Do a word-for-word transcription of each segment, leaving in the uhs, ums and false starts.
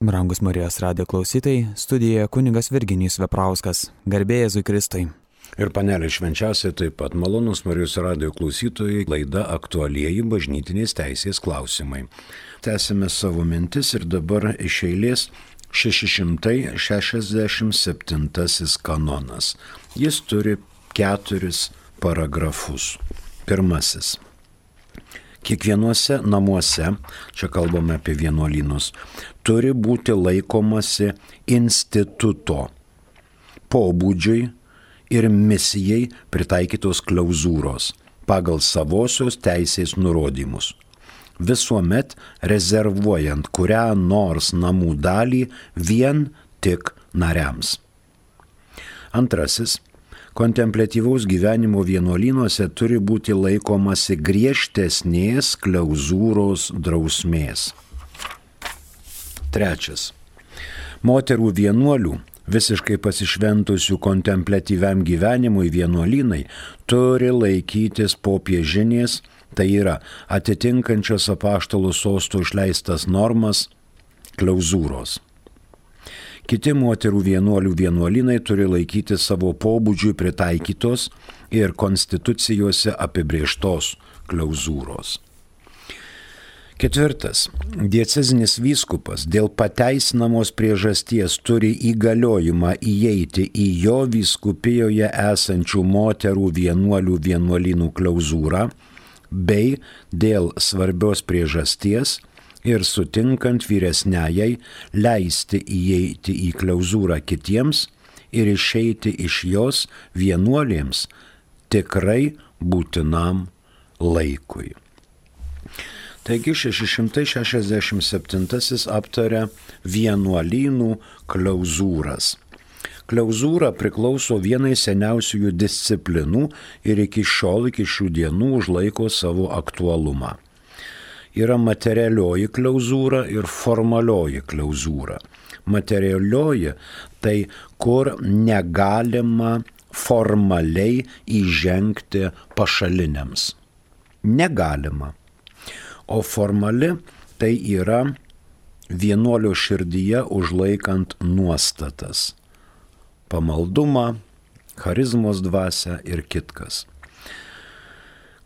Brangus Marijos radijo klausytojai, studijoje kunigas Virginijus Veprauskas. Garbė Jėzui Kristui. Ir panelė švenčiausiai taip pat malonus Marijos radijo klausytojai, laida aktualieji bažnytinės teisės klausimai. Tęsime savo mintis ir dabar iš eilės šeši šimtai šešiasdešimt septintasis kanonas. Jis turi keturis paragrafus. Pirmasis. Kiekvienuose namuose, čia kalbame apie vienuolynus, turi būti laikomasi instituto, pobūdžiui ir misijai pritaikytos klauzūros pagal savosios teisės nurodymus, visuomet rezervuojant kurią nors namų dalį vien tik nariams. Antrasis. Kontempliatyvaus gyvenimo vienuolynuose turi būti laikomasi griežtesnės klauzūros drausmės. Trečias. Moterų vienuolių, visiškai pasišventusių kontempliatyviam gyvenimui vienuolynai, turi laikytis popiežinės, tai yra atitinkančios apaštalų sosto išleistas normas, klauzūros. Kiti moterų vienuolių vienuolynai turi laikyti savo pobūdžiui pritaikytos ir konstitucijose apibrėžtos klauzūros. Ketvirtas. Diecezinis vyskupas dėl pateisinamos priežasties turi įgaliojimą įeiti į jo vyskupijoje esančių moterų vienuolių vienuolynų klauzūrą bei dėl svarbios priežasties ir sutinkant vyresniajai leisti įeiti į klauzūrą kitiems ir išeiti iš jos vienuolėms tikrai būtinam laikui. Taigi šeši šimtai šešiasdešimt septintasis aptaria vienuolynų klauzūras. Klauzūra priklauso vienai seniausiųjų disciplinų ir iki šiol, iki šių dienų užlaiko savo aktualumą. Yra materialioji klauzūra ir formalioji klauzūra. Materialioji tai, kur negalima formaliai įžengti pašaliniams. Negalima. O formali tai yra vienuolio širdyje užlaikant nuostatas. Pamaldumą, charizmos dvasią ir kitkas.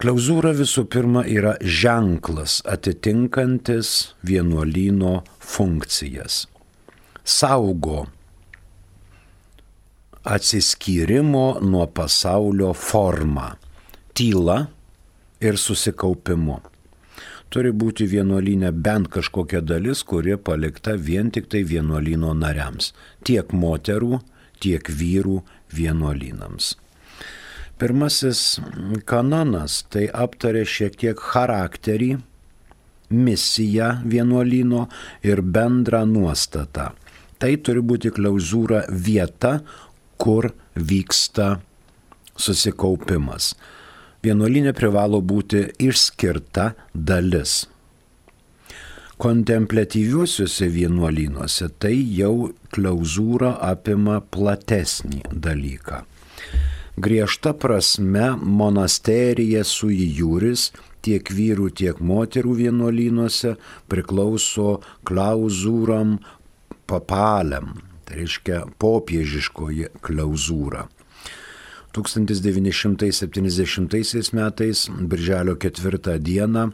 Klauzūra visų pirma yra ženklas atitinkantis vienuolyno funkcijas. Saugo atsiskyrimo nuo pasaulio formą, tyla ir susikaupimu. Turi būti vienuolyne bent kažkokia dalis, kuri palikta vien tik tai vienuolyno nariams, tiek moterų, tiek vyrų vienuolynams. Pirmasis kanonas tai aptarė šiek tiek charakterį, misiją vienuolyno ir bendrą nuostatą. Tai turi būti klauzūra vieta, kur vyksta susikaupimas. Vienuolyne privalo būti išskirta dalis. Kontempliatyviuosiuose vienuolynuose tai jau klauzūra apima platesnį dalyką. Griežta prasme monasterija sui juris tiek vyrų, tiek moterų vienuolynuose priklauso klauzūram papaliam, tai reiškia popiežiškoji klauzūra. tūkstantis devyni šimtai septyniasdešimtaisiais metais, birželio ketvirtą dieną,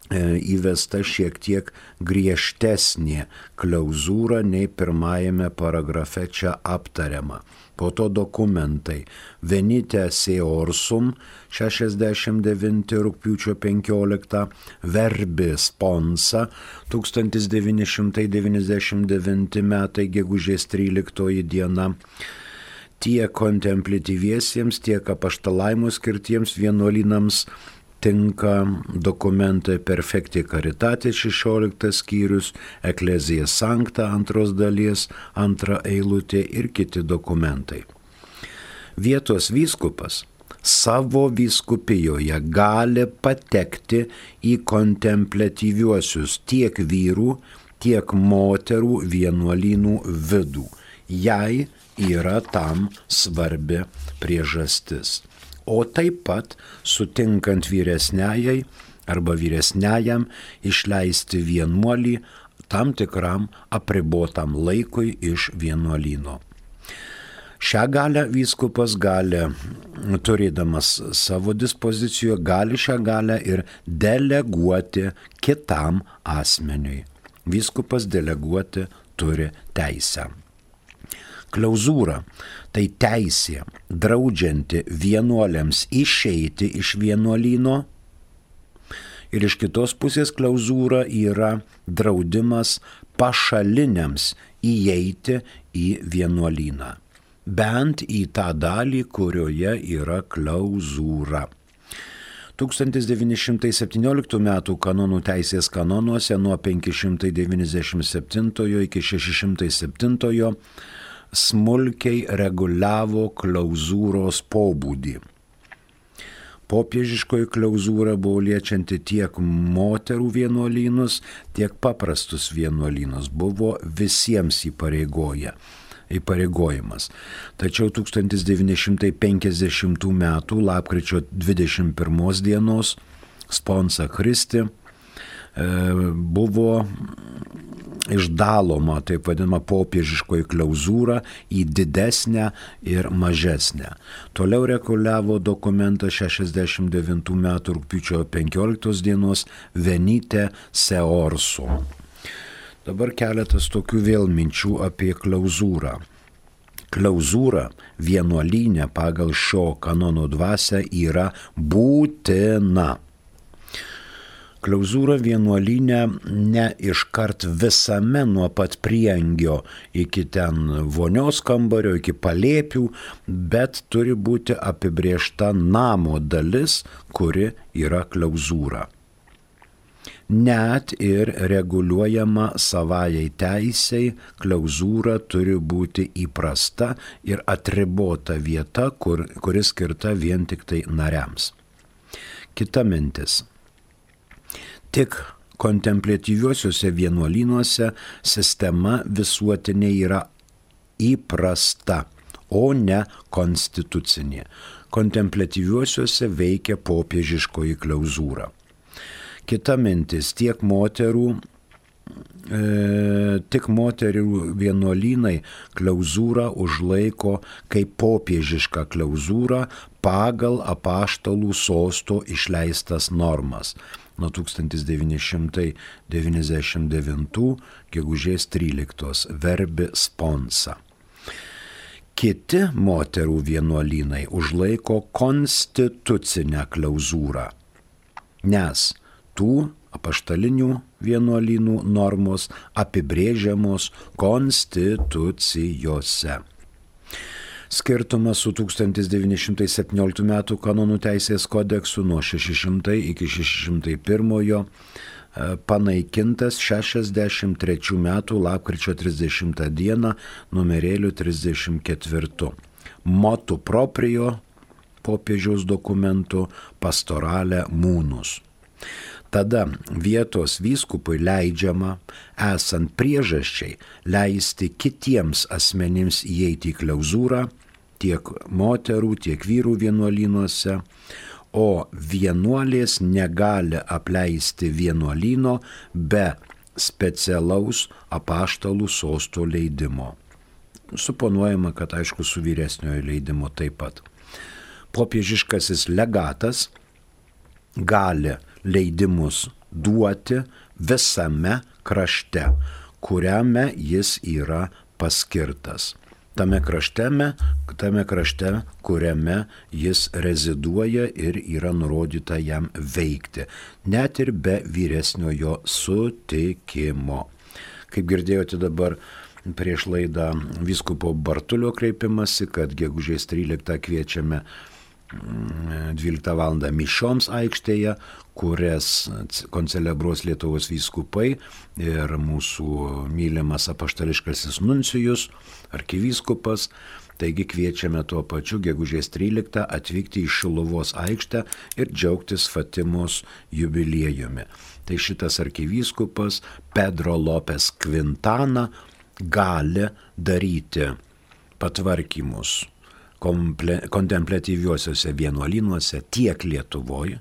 įvesta šiek tiek griežtesnė klauzūra nei pirmajame paragrafe čia aptariama. Po to dokumentai Venite Seorsum šešiasdešimt devinti rugpjūčio penkioliktą, Verbi Sponsa tūkstantis devyni šimtai devyniasdešimt devinti metai gegužės tryliktoji diena. Tiek kontempliatyviesiems, tiek apaštalaimo skirtiems vienuolynams tinka dokumentai Perfecti Caritatis šešioliktas skyrius, Ecclesia Sancta antros dalies, antra eilutė ir kiti dokumentai. Vietos vyskupas savo vyskupijoje gali patekti į kontempliatyviuosius tiek vyrų, tiek moterų vienuolynų vidų, jei yra tam svarbi priežastis. O taip pat sutinkant vyresniajai arba vyresniajam išleisti vienuolį tam tikram apribotam laikui iš vienuolyno. Šią galę vyskupas gali, turėdamas savo dispozicijoje, gali šią galę ir deleguoti kitam asmeniui. Vyskupas deleguoti turi teisę. Klauzūra – tai teisė, draudžianti vienuoliams išeiti iš vienuolyno, ir iš kitos pusės klauzūra yra draudimas pašaliniams įeiti į vienuolyną, bent į tą dalį, kurioje yra klauzūra. tūkstantis devyni šimtai septynioliktų metų kanonų teisės kanonuose nuo penki šimtai devyniasdešimt septintojo iki šeši šimtai septintojo smulkiai reguliavo klauzūros pobūdį. Popiežiškoji klauzūra buvo liečianti tiek moterų vienuolynus, tiek paprastus vienuolynus, buvo visiems įpareigoję. įpareigojimas. Tačiau tūkstantis devyni šimtai penkiasdešimtų metų lapkričio dvidešimt pirmos dienos Sponsa Christi e, buvo išdaloma, taip vadinama, popiežiškoji klauzūra į didesnę ir mažesnę. Toliau reguliavo dokumentas šešiasdešimt devintų metų rugpjūčio penkioliktos dienos Venite Seorso. Dabar keletas tokių vėl minčių apie klauzūrą. Klauzūra vienuolyne pagal šio kanono dvasią yra būtina. Klauzūra vienuolyne ne iškart visame nuo pat prieangio iki ten vonios kambario, iki palėpių, bet turi būti apibrėžta namo dalis, kuri yra klauzūra. Net ir reguliuojama savajai teisei, klauzūra turi būti įprasta ir atribota vieta, kur, kuri skirta vien tik tai nariams. Kita mintis. Tik kontempliatyviuosiuose vienuolynuose sistema visuotinė yra įprasta, o ne konstitucinė. Kontempliatyviuosiuose veikia popiežiškoji klauzūra. Kita mintis, tiek moterų, e, tik moterų vienuolynai klauzūrą užlaiko kaip popiežišką klauzūrą pagal apaštalų sosto išleistas normas nuo tūkstantis devyni šimtai devyniasdešimt devintų gegužės tryliktos Verbi Sponsa. Kiti moterų vienuolynai užlaiko konstitucinę klauzūrą, nes tų apaštalinių vienuolynų normos apibrėžiamos konstitucijose. Skirtumas su tūkstantis devyni šimtai septynioliktų metų kanonų teisės kodeksu nuo šeši šimtai iki šeši šimtai pirmojo panaikintas šešiasdešimt trečių metų lapkričio trisdešimtą dieną numerėliu trisdešimt ketvirtu. Motu proprio popiežiaus dokumentu Pastorale Munus. Tada vietos vyskupui leidžiama, esant priežasčiai, leisti kitiems asmenims įeiti į klauzūrą, tiek moterų, tiek vyrų vienuolynuose, o vienuolės negali apleisti vienuolyno be specialaus apaštalų sosto leidimo. Suponuojama, kad aišku su vyresniojo leidimo taip pat. Popiežiškasis legatas gali leidimus duoti visame krašte, kuriame jis yra paskirtas. Tame krašte, tame krašte, kuriame jis reziduoja ir yra nurodyta jam veikti, net ir be vyresniojo sutikimo. Kaip girdėjote dabar prieš laidą vyskupo Bartulio kreipimasi, kad gegužės tryliktą kviečiame dvyliktą valandą mišioms aikštėje, kurias koncelebruos Lietuvos vyskupai ir mūsų mylimas apaštališkasis nuncijus, arkivyskupas. Taigi kviečiame tuo pačiu gegužės tryliktą atvykti į Šiluvos aikštę ir džiaugtis Fatimos jubiliejumi. Tai šitas arkivyskupas Pedro Lopes Quintana gali daryti patvarkymus kontempliatyviuosiuose vienuolynuose tiek Lietuvoje,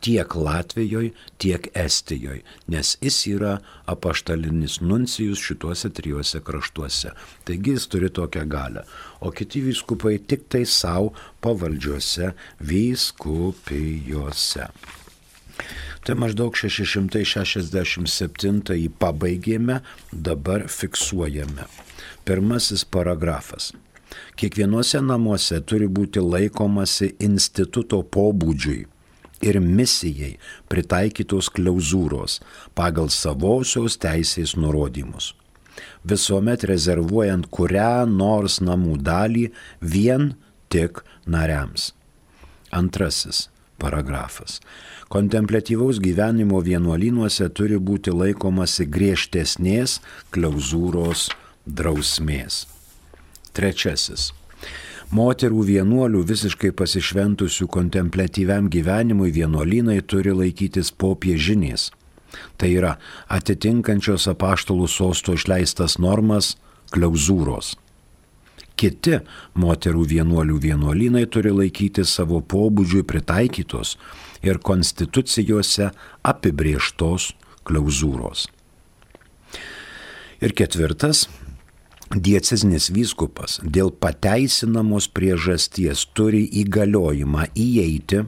tiek Latvijoje, tiek Estijoje, nes jis yra apaštalinis nuncijus šituose trijuose kraštuose. Taigi jis turi tokią galią. O kiti vyskupai tik tai savo pavaldžiuose vyskupijose. Tai maždaug šeši šimtai šešiasdešimt septintąjį pabaigėme, dabar fiksuojame. Pirmasis paragrafas. Kiekvienuose namuose turi būti laikomasi instituto pobūdžiui ir misijai pritaikytos klauzūros pagal savosios teisės nurodymus, visuomet rezervuojant kurią nors namų dalį vien tik nariams. Antrasis paragrafas. Kontempliatyvaus gyvenimo vienuolynuose turi būti laikomasi griežtesnės klauzūros drausmės. Trečiasis. Moterų vienuolių visiškai pasišventusių kontempliatyviam gyvenimui vienuolynai turi laikytis popiežinės. Tai yra atitinkančios apaštalų sosto išleistas normas klauzūros. Kiti moterų vienuolių vienuolynai turi laikyti savo pobūdžiui pritaikytos ir konstitucijose apibrėžtos klauzūros. Ir ketvirtas. Diecezinis vyskupas dėl pateisinamos priežasties turi įgaliojimą įeiti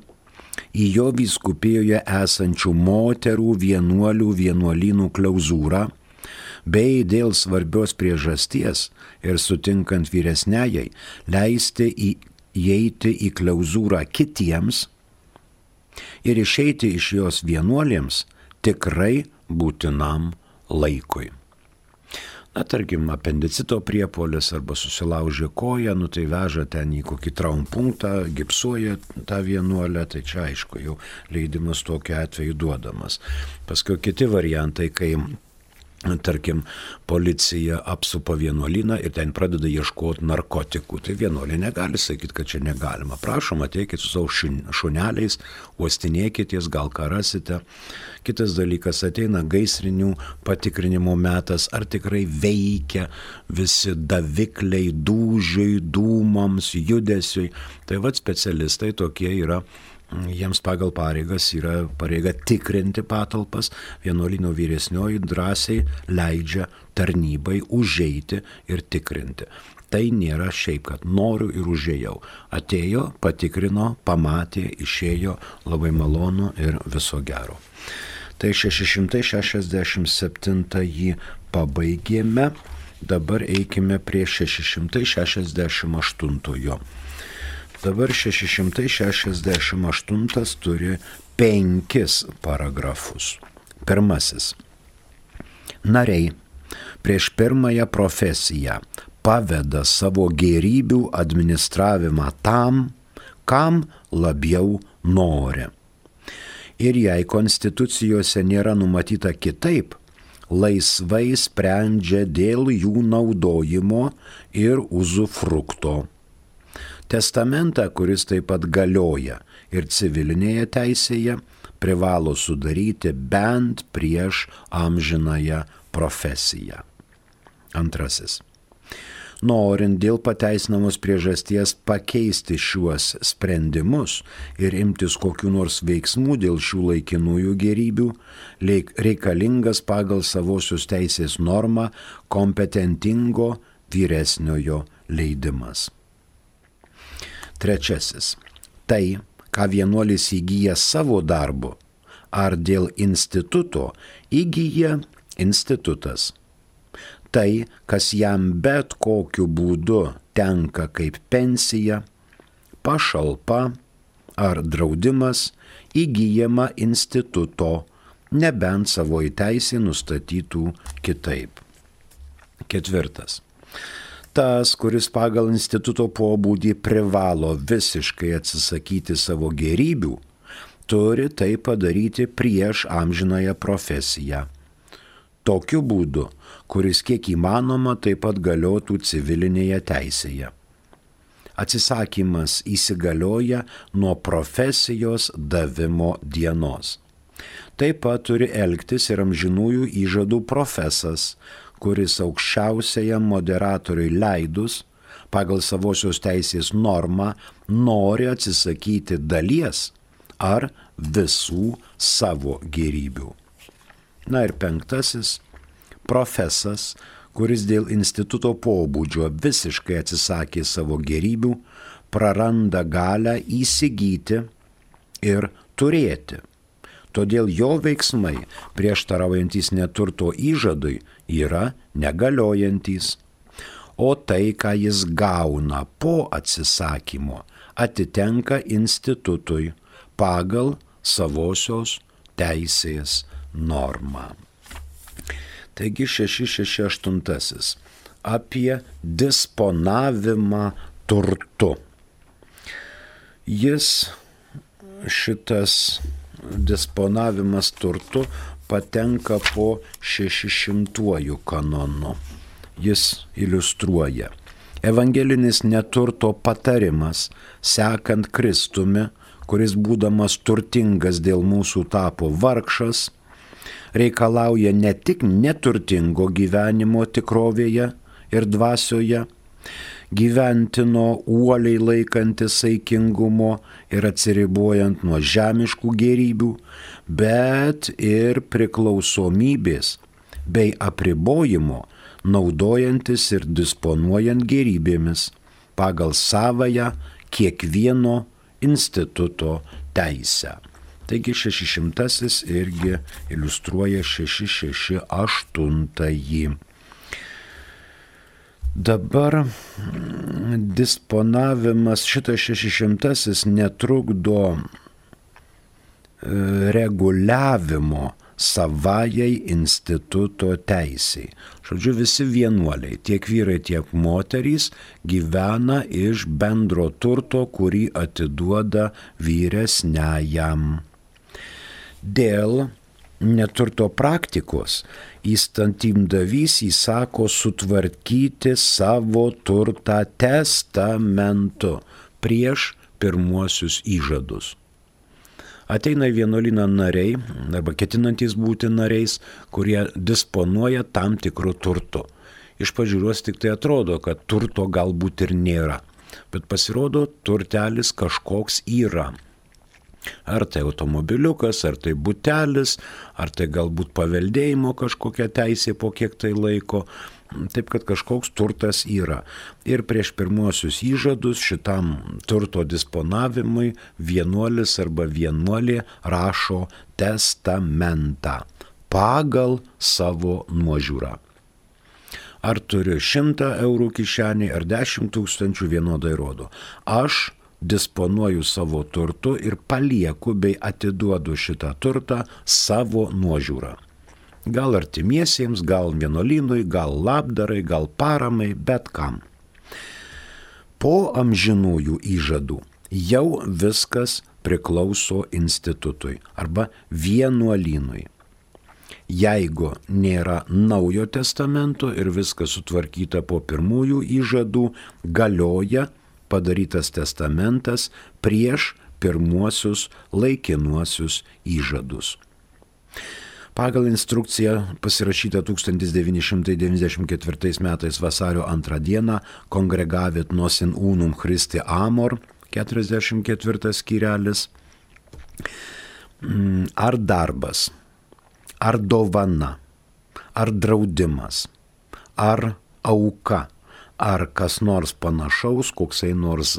į jo vyskupijoje esančių moterų vienuolių vienuolynų klauzūrą, bei dėl svarbios priežasties ir sutinkant vyresniajai leisti įeiti į klauzūrą kitiems ir išeiti iš jos vienuolėms tikrai būtinam laikui. Na, tarkim, apendicito priepuolis arba susilaužė koją, nu tai veža ten į kokį traumpunktą, gipsuoja tą vienuolę, tai čia aišku, jau leidimas tokiu atveju duodamas. Paskui kiti variantai, kai, tarkim, policija apsupa vienuolyną ir ten pradeda ieškoti narkotikų, tai vienuolė negali sakyti, kad čia negalima. Prašom, ateikit su savo šuneliais, uostinėkitės, gal ką rasite. Kitas dalykas, ateina gaisrinių patikrinimo metas, ar tikrai veikia visi davikliai dūžiui, dūmams, judesiui. Tai vad specialistai tokie yra, jiems pagal pareigas yra pareiga tikrinti patalpas, vienuolyno vyresnioji drąsiai leidžia tarnybai užeiti ir tikrinti. Tai nėra šiaip, kad noriu ir užėjau. Atėjo, patikrino, pamatė, išėjo, labai malonu ir viso gero. Tai šeši šimtai šešiasdešimt septintąjį pabaigėme, dabar eikime prie šeši šimtai šešiasdešimt aštuntojo. Dabar šeši šimtai šešiasdešimt aštuntas turi penkis paragrafus. Pirmasis. Nariai prieš pirmąją profesiją paveda savo gėrybių administravimą tam, kam labiau nori. Ir jei konstitucijose nėra numatyta kitaip, laisvai sprendžia dėl jų naudojimo ir uzufrukto. Testamentą, kuris taip pat galioja ir civilinėje teisėje, privalo sudaryti bent prieš amžinąją profesiją. Antrasis. Norint dėl pateisinamos priežasties pakeisti šiuos sprendimus ir imtis kokių nors veiksmų dėl šių laikinųjų gėrybių, reikalingas pagal savosios teisės normą kompetentingo vyresniojo leidimas. Trečiasis. Tai, ką vienuolis įgyja savo darbu, ar dėl instituto įgyja institutas. Tai, kas jam bet kokiu būdu tenka kaip pensija, pašalpa ar draudimas, įgyjama instituto, nebent savo teisė nustatytų kitaip. Ketvirtas. Tas, kuris pagal instituto pobūdį privalo visiškai atsisakyti savo gėrybių, turi tai padaryti prieš amžinąją profesiją. Tokiu būdu, kuris kiek įmanoma taip pat galiotų civilinėje teisėje. Atsisakymas įsigalioja nuo profesijos davimo dienos. Taip pat turi elgtis ir amžinųjų įžadų profesas, kuris aukščiausiajam moderatoriui leidus, pagal savosios teisės normą, nori atsisakyti dalies ar visų savo gėrybių. Na ir penktasis, profesas, kuris dėl instituto pobūdžio visiškai atsisakė savo gėrybių, praranda galią įsigyti ir turėti. Todėl jo veiksmai, prieštaraujantys neturto įžadui, yra negaliojantys. O tai, ką jis gauna po atsisakymo, atitenka institutui pagal savosios teisės normą. Taigi šeši šeši aštuoni apie disponavimą turtu. Jis, šitas disponavimas turtu, patenka po šešišimtuoju kanonu. Jis iliustruoja. Evangelinis neturto patarimas, sekant Kristumi, kuris būdamas turtingas dėl mūsų tapo vargšas, reikalauja ne tik neturtingo gyvenimo tikrovėje ir dvasioje, gyventino uoliai laikantis saikingumo ir atsiribojant nuo žemiškų gėrybių, bet ir priklausomybės bei apribojimo, naudojantis ir disponuojant gėrybėmis pagal savąją kiekvieno instituto teisę. Taigi šešišimtasis irgi iliustruoja šeši šeši aštuoni. Dabar disponavimas, šitas šešišimtasis netrukdo reguliavimo savajai instituto teisiai. Žodžiu, visi vienuoliai, tiek vyrai, tiek moterys, gyvena iš bendro turto, kurį atiduoda vyresniajam. Dėl neturto praktikos įstatymdavys įsako sutvarkyti savo turtą testamentu prieš pirmuosius įžadus. Ateina į vienuolyną nariai, arba ketinantys būti nariais, kurie disponuoja tam tikru turtu. Iš pažiūros tik tai atrodo, kad turto galbūt ir nėra, bet pasirodo, turtelis kažkoks yra. Ar tai automobiliukas, ar tai butelis, ar tai galbūt paveldėjimo kažkokia teisė po kiek tai laiko. Taip, kad kažkoks turtas yra. Ir prieš pirmuosius įžadus šitam turto disponavimui vienuolis arba vienuolė rašo testamentą pagal savo nuožiūrą. Ar turiu šimtą eurų kišenėje, ar dešimt tūkstančių, vienodai rodo. Aš disponuoju savo turtu ir palieku bei atiduodu šitą turtą savo nuožiūrą. Gal artimiesiems, gal vienuolynui, gal labdarai, gal paramai, bet kam. Po amžinųjų įžadų jau viskas priklauso institutui arba vienuolynui. Jeigu nėra naujo testamento ir viskas sutvarkyta po pirmųjų įžadų, galioja padarytas testamentas prieš pirmuosius laikinuosius įžadus. Pagal instrukciją pasirašytą tūkstantis devyni šimtai devyniasdešimt ketvirtais metais vasario antrą dieną Congregavit nos in unum Christi amor, keturiasdešimt ketvirtas skyrelis, ar darbas, ar dovana, ar draudimas, ar auka, ar kas nors panašaus, koksai nors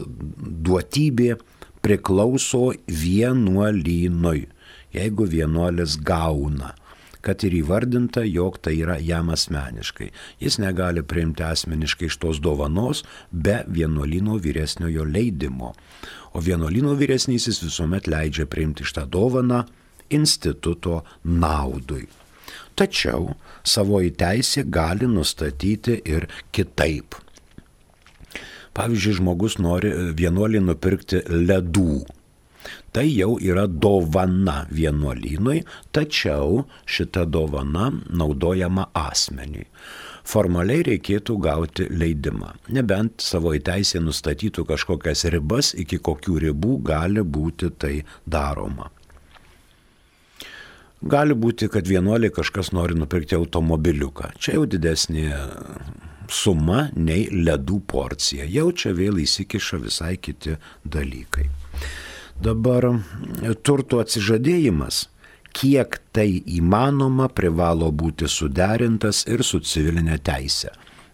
duotybė priklauso vienuolynui, jeigu vienuolis gauna, kad ir įvardinta, jog tai yra jam asmeniškai. Jis negali priimti asmeniškai iš tos dovanos be vienuolyno vyresniojo leidimo. O vienuolyno vyresnysis visuomet leidžia priimti šitą dovaną instituto naudui. Tačiau savoji teisė gali nustatyti ir kitaip. Pavyzdžiui, žmogus nori vienuolį nupirkti ledų. Tai jau yra dovana vienuolynui, tačiau šita dovana naudojama asmeniui. Formaliai reikėtų gauti leidimą, nebent savo teisė nustatytų kažkokias ribas, iki kokių ribų gali būti tai daroma. Gali būti, kad vienuoliai kažkas nori nupirkti automobiliuką. Čia jau didesnė suma nei ledų porcija. Jau čia vėl įsikiša visai kiti dalykai. Dabar turto atsižadėjimas, kiek tai įmanoma, privalo būti suderintas ir su civilinė teise.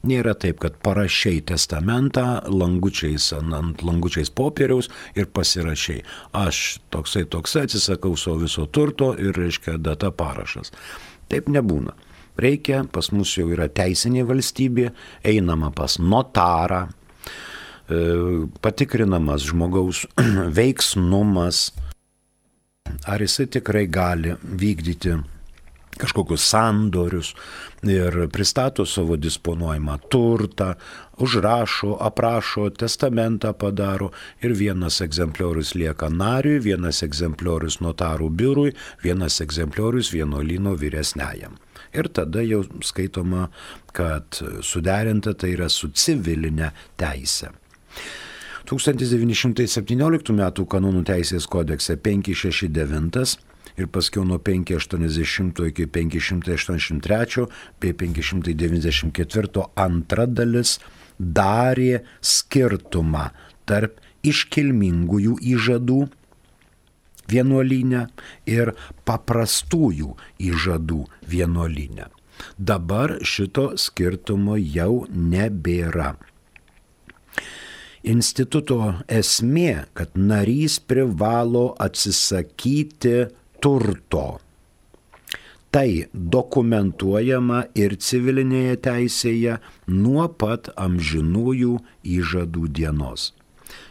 Nėra taip, kad parašiai testamentą langučiais, ant langučiais popieriaus ir pasirašiai. Aš toksai toksai atsisakau savo viso turto ir, reiškia, data parašas. Taip nebūna. Reikia, pas mus jau yra teisinė valstybė, einama pas notarą, patikrinamas žmogaus veiksnumas, ar jisai tikrai gali vykdyti kažkokius sandorius ir pristato savo disponuojamą turtą, užrašo, aprašo, testamentą padaro ir vienas egzempliorius lieka nariui, vienas egzempliorius notarų biurui, vienas egzempliorius vienuolyno vyresniajam. Ir tada jau skaitoma, kad suderinta tai yra su civilinė teise. tūkstantis devyni šimtai septynioliktų metų kanonų teisės kodekse penki šeši devyni ir paskiau nuo penki aštuoniasdešimt iki penki šimtai aštuoniasdešimt trys bei penki šimtai devyniasdešimt keturi antra dalis darė skirtumą tarp iškilmingųjų įžadų vienuolyne ir paprastųjų įžadų vienuolyne. Dabar šito skirtumo jau nebėra. Instituto esmė, kad narys privalo atsisakyti turto. Tai dokumentuojama ir civilinėje teisėje nuo pat amžinųjų įžadų dienos.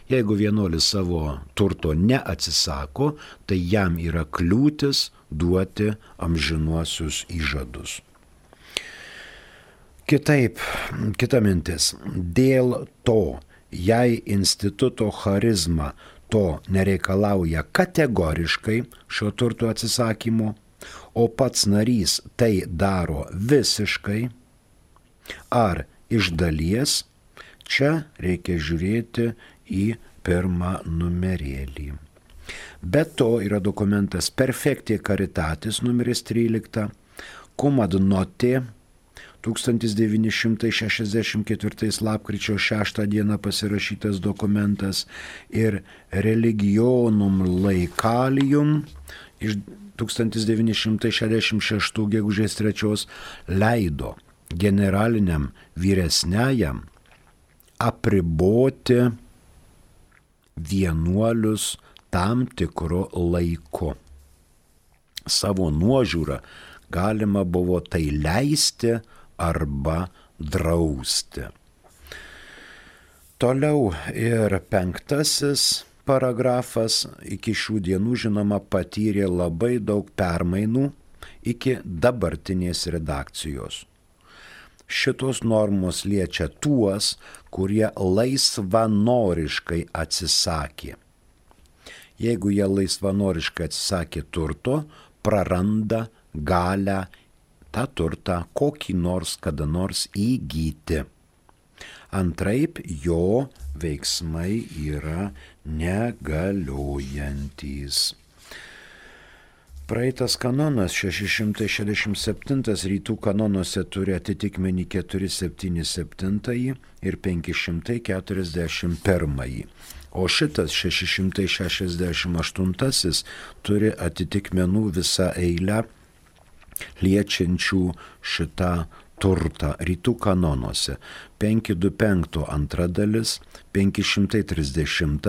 Jeigu vienuolis savo turto neatsisako, tai jam yra kliūtis duoti amžinuosius įžadus. Kitaip, kita mintis. Dėl to, jei instituto charizma to nereikalauja kategoriškai šio turto atsisakymo, o pats narys tai daro visiškai ar iš dalies, čia reikia žiūrėti į pirmą numerėlį. Be to yra dokumentas Perfectė Caritatis numeris trylika, Cum ad note tūkstantis devyni šimtai šešiasdešimt ketvirti lapkričio šeštą dieną pasirašytas dokumentas ir Religionum Laicalium iš tūkstantis devyni šimtai šešiasdešimt šeštų gegužės trečios leido generaliniam vyresniajam apriboti vienuolius tam tikru laiku. Savo nuožiūrą galima buvo tai leisti arba drausti. Toliau ir penktasis paragrafas iki šių dienų, žinoma, patyrė labai daug permainų iki dabartinės redakcijos. Šitos normos liečia tuos, kurie laisvanoriškai atsisakė. Jeigu jie laisvanoriškai atsisakė turto, praranda galę tą turtą kokį nors kada nors įgyti. Antraip jo veiksmai yra negaliojantys. Praeitas kanonas šeši šimtai šešiasdešimt septyni rytų kanonuose turi atitikmenį keturi septyni septyni ir penki šimtai keturiasdešimt pirmą. O šitas šeši šimtai šešiasdešimt aštuoni turi atitikmenų visą eilę liečiančių šitą turtą rytų kanonuose. penki du penki antra dalis, penki šimtai trisdešimt,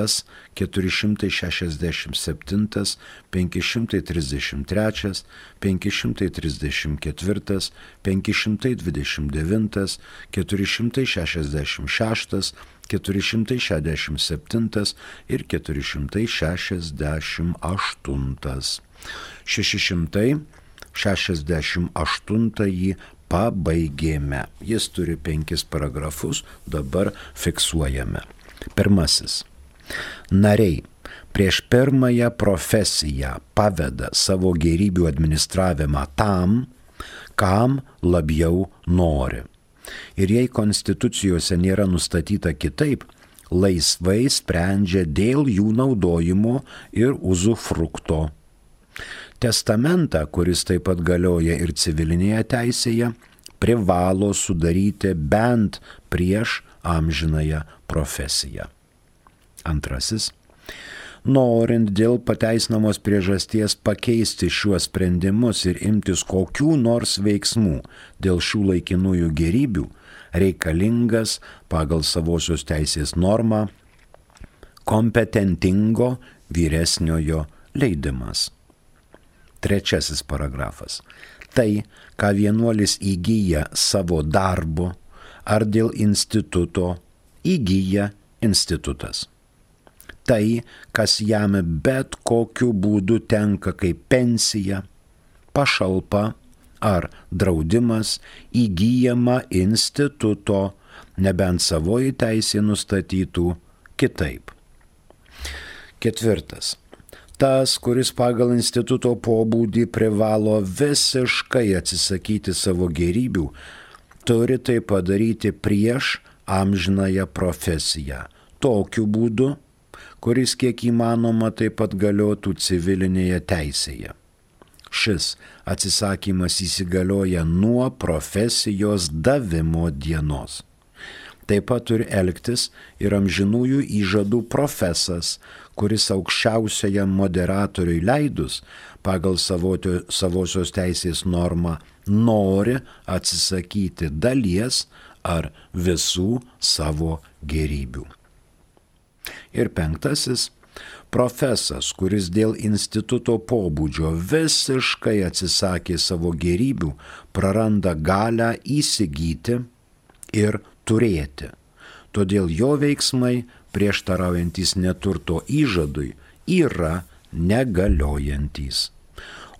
keturi šimtai šešiasdešimt septyni, penki šimtai trisdešimt trys, penki šimtai trisdešimt keturi, penki šimtai dvidešimt devyni, keturi šimtai šešiasdešimt šeši, keturi šimtai šešiasdešimt septyni ir keturi šimtai šešiasdešimt aštuoni. šeši šimtai šešiasdešimt aštuntąjį pabaigėme. Jis turi penkis paragrafus, dabar fiksuojame. Pirmasis. Nariai prieš pirmąją profesiją paveda savo gėrybių administravimą tam, kam labiau nori. Ir jei konstitucijose nėra nustatyta kitaip, laisvai sprendžia dėl jų naudojimo ir uzufrukto. Testamentą, kuris taip pat galioja ir civilinėje teisėje, privalo sudaryti bent prieš amžinąją profesiją. Antrasis. Norint dėl pateisinamos priežasties pakeisti šiuos sprendimus ir imtis kokių nors veiksmų dėl šių laikinųjų gėrybių, reikalingas pagal savosios teisės normą kompetentingo vyresniojo leidimas. Trečiasis paragrafas. Tai, ką vienuolis įgyja savo darbu ar dėl instituto, įgyja institutas. Tai, kas jam bet kokiu būdu tenka kaip pensija, pašalpa ar draudimas, įgyjama instituto, nebent savoji teisė nustatytų kitaip. Ketvirtas. Tas, kuris pagal instituto pobūdį privalo visiškai atsisakyti savo gėrybių, turi tai padaryti prieš amžinąją profesiją. Tokiu būdu, kuris kiek įmanoma taip pat galiotų civilinėje teisėje. Šis atsisakymas įsigalioja nuo profesijos davimo dienos. Taip pat turi elgtis ir amžinųjų įžadų profesas, kuris aukščiausiajam moderatoriui leidus pagal savotio, savosios teisės normą nori atsisakyti dalies ar visų savo gėrybių. Ir penktasis. Profesas, kuris dėl instituto pobūdžio visiškai atsisakė savo gėrybių, praranda galią įsigyti ir turėti. Todėl jo veiksmai, prieštaraujantis neturto įžadui, yra negaliojantis.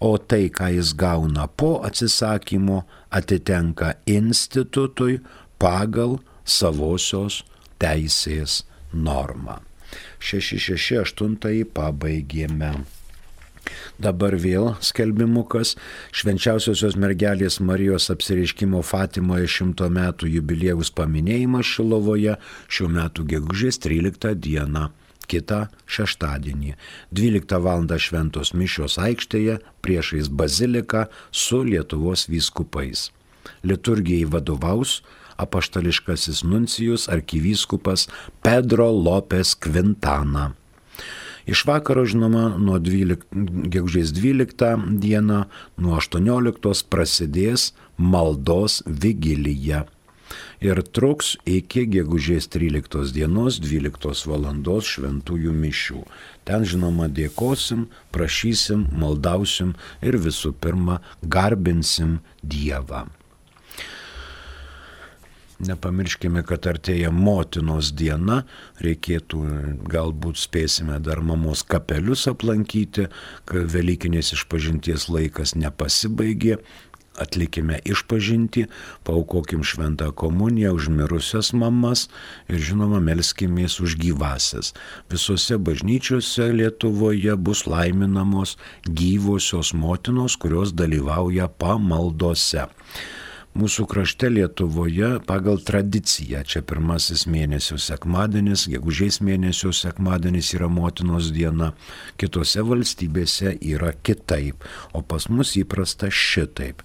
O tai, ką jis gauna po atsisakymo, atitenka institutui pagal savosios teisės normą. šeši šeši aštuntąjį pabaigėme. Dabar vėl skelbimukas. Švenčiausiosios mergelės Marijos apsireiškimo Fatimoje šimto metų jubiliejaus paminėjimas Šilovoje šių metų gegužės tryliktą dieną, kitą šeštadienį. dvyliktą valandą šventos mišios aikštėje priešais baziliką su Lietuvos vyskupais. Liturgijai vadovaus apaštališkasis nuncijus arkivyskupas Pedro Lopes Quintana. Iš vakaro, žinoma, nuo gegužės dvyliktą dieną nuo aštuonioliktos prasidės maldos vigilija ir truks iki gegužės tryliktos dienos dvyliktos valandos šventųjų mišių. Ten, žinoma, dėkosim, prašysim, maldausim ir visų pirma garbinsim Dievą. Nepamirškime, kad artėja motinos diena, reikėtų, galbūt spėsime dar mamos kapelius aplankyti, kad Velykinės išpažinties laikas nepasibaigė, atlikime išpažintį, paaukokim šventą komuniją už mirusias mamas ir, žinoma, melskimės už gyvasias. Visose bažnyčiose Lietuvoje bus laiminamos gyvosios motinos, kurios dalyvauja pamaldose. Mūsų krašte Lietuvoje pagal tradiciją, čia pirmasis mėnesio sekmadienis, gegužės mėnesio sekmadienis yra motinos diena, kitose valstybėse yra kitaip, o pas mus įprasta šitaip.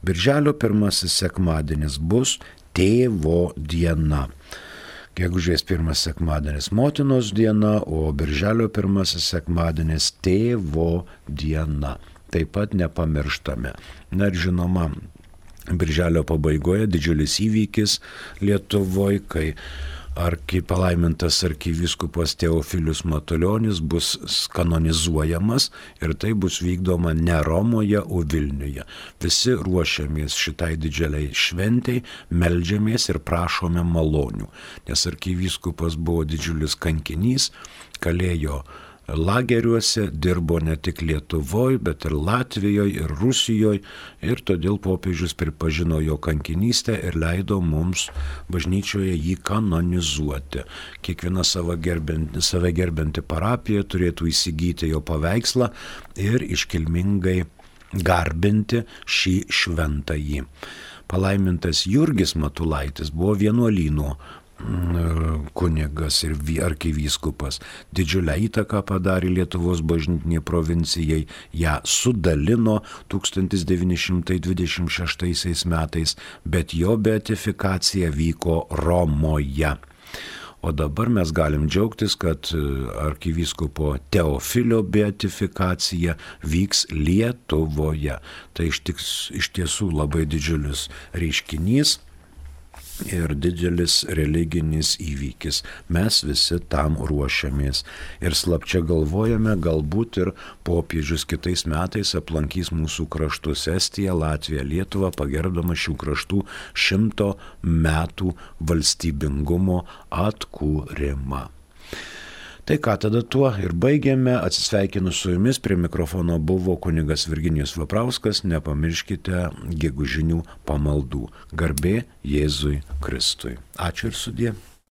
Birželio pirmasis sekmadienis bus tėvo diena. Gegužės pirmas sekmadienis motinos diena, o birželio pirmasis sekmadienis tėvo diena. Taip pat nepamirštame. Na ir žinoma, birželio pabaigoje didžiulis įvykis Lietuvoje, kai arki palaimintas arkivyskupas Teofilius Matulionis bus kanonizuojamas ir tai bus vykdoma ne Romoje, o Vilniuje. Visi ruošiamės šitai didžiuliai šventei, meldžiamės ir prašome malonių, nes arkivyskupas buvo didžiulis kankinys, kalėjo lageriuose, dirbo ne tik Lietuvoje, bet ir Latvijoje ir Rusijoje ir todėl popiežius pripažino jo kankinystę ir leido mums bažnyčioje jį kanonizuoti. Kiekviena save gerbianti, save gerbianti parapija turėtų įsigyti jo paveikslą ir iškilmingai garbinti šį šventąjį. Palaimintas Jurgis Matulaitis buvo vienuolyno kunigas ir arkivyskupas. Didžiulę įtaką padarė Lietuvos bažnytinė provincijai, ją sudalino tūkstantis devyni šimtai dvidešimt šeštaisiais metais, bet jo beatifikacija vyko Romoje. O dabar mes galim džiaugtis, kad arkivyskupo Teofilio beatifikacija vyks Lietuvoje. Tai iš, tiks, iš tiesų labai didžiulis reiškinys ir didelis religinis įvykis. Mes visi tam ruošiamės. Ir slapčia galvojame, galbūt ir popiežius kitais metais aplankys mūsų kraštus Estiją, Latviją, Lietuvą, pagerbdama šių kraštų šimto metų valstybingumo atkūrimą. Tai ką, tada tuo ir baigėme. Atsisveikinu su jumis. Prie mikrofono buvo kunigas Virginijus Veprauskas. Nepamirškite gegužinių pamaldų. Garbė Jėzui Kristui. Ačiū ir sudie.